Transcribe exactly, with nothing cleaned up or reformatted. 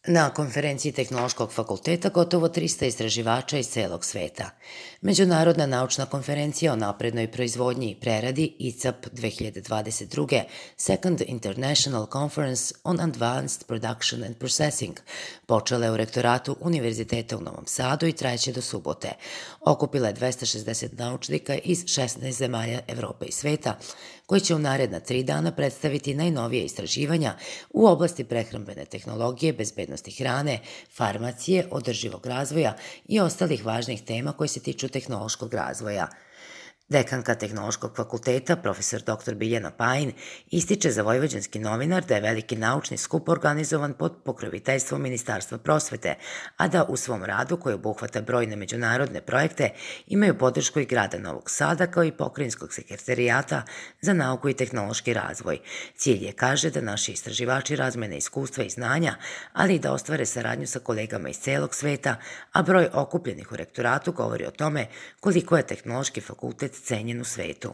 Na konferenciji Tehnološkog fakulteta gotovo trista istraživača iz celog sveta. Međunarodna naučna konferencija o naprednoj proizvodnji i preradi I C A P dve hiljade dvadeset druge. Second International Conference on Advanced Production and Processing počela je u rektoratu Univerziteta u Novom Sadu i trajeće do subote. Okupila je dvesta šezdeset naučnika iz šesnaest zemalja Evrope i sveta, koji će u naredna tri dana predstaviti najnovije istraživanja u oblasti prehrambene tehnologije, bezbednosti hrane, farmacije, održivog razvoja i ostalih važnih tema koje se tiču tehnološkog razvoja. Dekanka Tehnološkog fakulteta, profesor doktor Biljana Pajin, ističe za Vojvođanski novinar da je veliki naučni skup organizovan pod pokroviteljstvom Ministarstva prosvete, a da u svom radu, koji obuhvata brojne međunarodne projekte, imaju podršku i grada Novog Sada kao i pokrajinskog sekretarijata za nauku i tehnološki razvoj. Cilj je, kaže, da naši istraživači razmene iskustva i znanja, ali i da ostvare saradnju sa kolegama iz celog sveta, a broj okupljenih u rektoratu govori o tome koliko je Tehnološki fakultet cenjen u svetu.